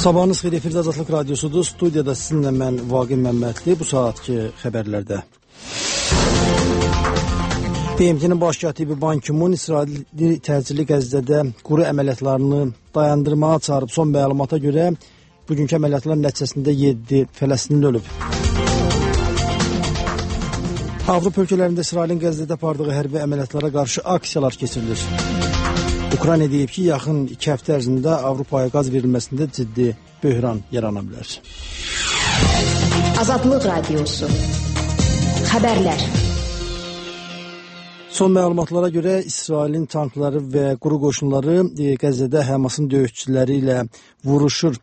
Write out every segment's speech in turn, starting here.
Sabahınız xeyir, efirdə Azadlıq Radyosudur. Studiyada sizinlə mən Vaqif Məmmədli. Bu saatki xəbərlərdə. BMT-nin baş katibi Ban Ki-mun İsraili təcili Qəzzədə quru əməliyyatlarını dayandırmağa çağırıb. Son məlumata görə bugünkü əməliyyatlar nəticəsində 7 Fələstinli ölüb. Avropa ölkələrində İsrailin Qəzzədə apardığı hərbi əməliyyatlara qarşı aksiyalar keçirilir. Ukrayna deyib ki, yaxın 2 həftə ərzində Avropaya qaz verilməsində ciddi böhran yarana bilər. Azadlıq Radyosu. Xəbərlər. Son məlumatlara görə İsrailin tankları və quru qoşunları Qəzzədə Həmasın döyüşçüləri ilə vuruşur.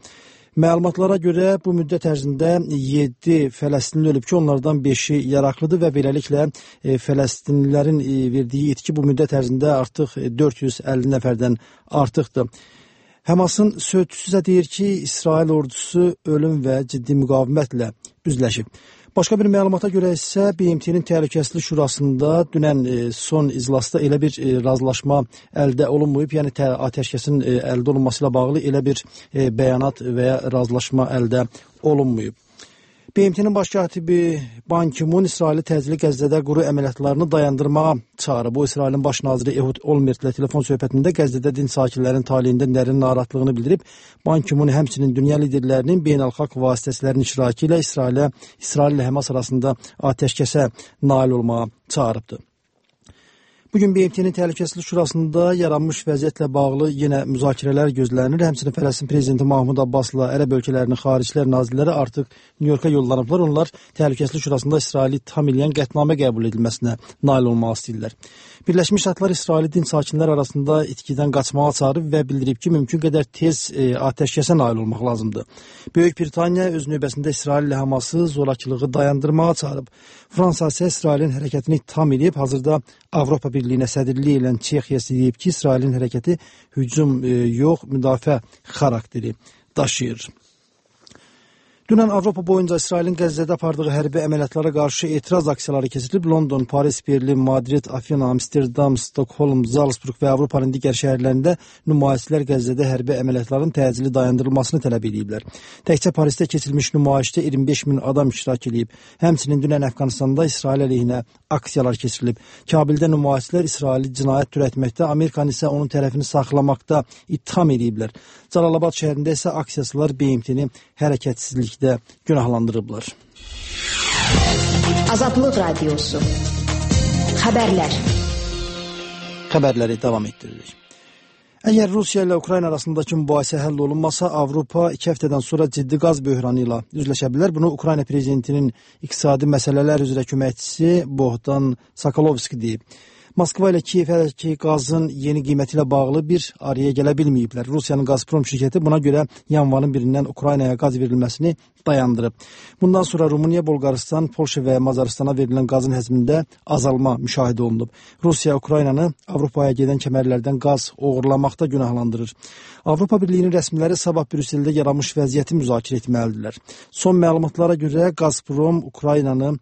Məlumatlara görə bu müddət ərzində 7 Fələstinli ölüb ki, onlardan 5-i yaraqlıdır və beləliklə Fələstinlilərin verdiyi itki bu müddət ərzində artıq 450 nəfərdən artıqdır. Həmasın sözçüsü deyir ki, İsrail ordusu ölüm və ciddi müqavimətlə üzləşib. Başqa bir məlumata görə isə BMT-nin Təhlükəsizlik Şurasında dünən son iclasda elə bir razılaşma əldə olunmayıb, yəni atəşkəsin əldə olunması ilə bağlı elə bir bəyanat və ya razılaşma əldə olunmayıb. BMT-nin baş katibi Ban Ki-mun İsraili təcili Qəzzədə quru əməliyyatlarını dayandırmağa çağırıb. Bu, İsrailin baş naziri Ehud Olmert ilə telefon söhbətində Qəzzədə din sakinlərin taleyində dərin narahatlığını bildirib. Ban Ki-mun həmçinin dünya liderlərinin beynəlxalq vasitəsilərin iştirakı ilə İsrail ilə Həmas arasında atəşkəsə nail olmağa çağırıbdır. Bugün BMT-nin Təhlükəsizlik Şurasında yaranmış vəziyyətlə bağlı yenə müzakirələr gözlənir. Həmçinin Fələstin prezidenti Mahmud Abbasla ərəb ölkələrinin xaricilər nazirləri artıq Nyu-Yorka yollanıblar. Onlar Təhlükəsizlik Şurasında İsraili tam eləyən qətnamə qəbul edilməsinə nail olmaq istəyirlər. Birləşmiş Ştatlar İsraili din sakinlər arasında itkidən qaçmağa çağırıb və bildirib ki, mümkün qədər tez atəşkəsə nail olmaq lazımdır. Böyük Britaniya öz növbəsində İsrail ilə Həması zorakılığı dayandırmağa çağırıb. Fransa isə İsrailin hərəkətini tam edib. Hazırda Avropa Birliyinə sədrlik edən Çexiya deyib ki, İsrailin hərəkəti hücum yox, müdafiə xarakteri daşıyır. Dünən Avropa boyunca İsrailin Qəzzədə apardığı hərbi əməliyyatlara qarşı etiraz aksiyaları keçirilib. London, Paris, Berlin, Madrid, Afina, Amsterdam, Stockholm, Salzburg və Avropanın digər şəhərlərində nümayişçilər Qəzzədə hərbi əməliyyatların təcili dayandırılmasını tələb ediblər. Təkcə Parisdə keçirilmiş nümayişdə 25 min adam iştirak edib. Həmçinin dünən Əfqanistanda İsrail əleyhinə aksiyalar keçirilib. Kabildə nümayişçilər İsraili cinayət törətməkdə, Amerikanın isə onun tərəfini saxlamaqda ittiham ediblər. Cəlalabad şəhərində isə aksiyaçılar BMT-ni hərəkətsizlikdə günahlandırıblar. Azadlıq Radyosu. Xəbərlər. Xəbərləri davam etdiririk. Əgər Rusiya ilə Ukrayna arasındakı mübahisə həll olunmasa, Avropa 2 həftədən sonra ciddi qaz böhranı ilə üzləşə bilər. Bunu Ukrayna prezidentinin iqtisadi məsələlər üzrə köməkçisi Bohdan Sokolovski deyib. Moskva ilə Kiyevdəki qazın yeni qiyməti ilə bağlı bir araya gələ bilməyiblər. Rusiyanın Gazprom şirkəti buna görə yanvarın 1-dən Ukraynaya qaz verilməsini dayandırıb. Bundan sonra Rumıniya, Bolqarıstan, Polşa və Macaristana verilən qazın həcmində azalma müşahidə olunub. Rusiya Ukraynanı Avropaya gedən kəmərlərdən qaz oğurlamaqda günahlandırır. Avropa Birliyinin rəsmiləri sabah Brüsseldə yaranmış vəziyyəti müzakirə etməlidirlər. Son məlumatlara görə Gazprom Ukraynanı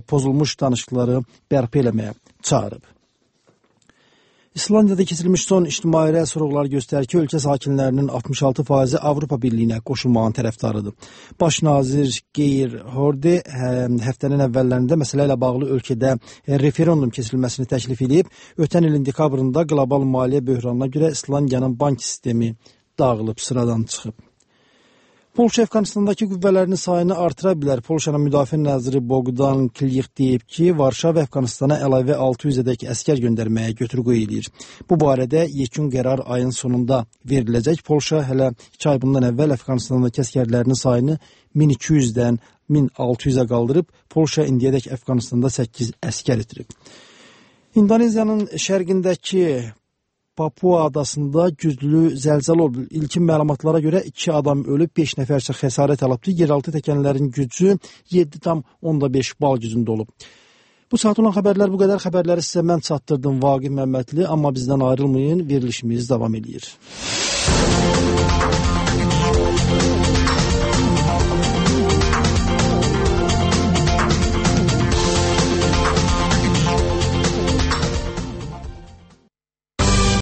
pozulmuş danışıqları bərpa eləməyə çağırıb. İslandiyada keçirilmiş son ictimai sorğular göstərir ki, ölkə sakinlərinin 66% Avropa Birliyinə qoşulmağın tərəfdarıdır. Baş nazir Geir Horde həftənin əvvəllərində məsələ ilə bağlı ölkədə referendum keçirilməsini təklif edib. Ötən ilin dekabrında qlobal maliyyə böhranına görə İslandiyanın bank sistemi dağılıb, sıradan çıxıb. Polşa Əfqanistandakı qüvvələrini sayını artıra bilər. Polşanın müdafiə naziri Bogdan Kliyev deyib ki, Varşava Əfqanistana əlavə 600-ədək əskər göndərməyə götür-qoy edir. Bu barədə yekun qərar ayın sonunda veriləcək. Polşa hələ 2 ay bundan əvvəl Əfqanistandakı əskərlərinin sayını 1200-dən 1600-ə qaldırıb. Polşa indiyədək Əfqanistanda 8 əskər itirib. İndoneziyanın şərqindəki Papua adasında güclü zəlzələ oldu. İlkin məlumatlara görə 2 adam ölüb, 5 nəfərsə xəsarət alıbdı. Yeraltı təkanların gücü 7,5 bal gücündə olub. Bu saat olan xəbərlər bu qədər. Xəbərləri sizə mən çatdırdım, Vaqif Məmmədli. Amma bizdən ayrılmayın, verilişimiz davam edir.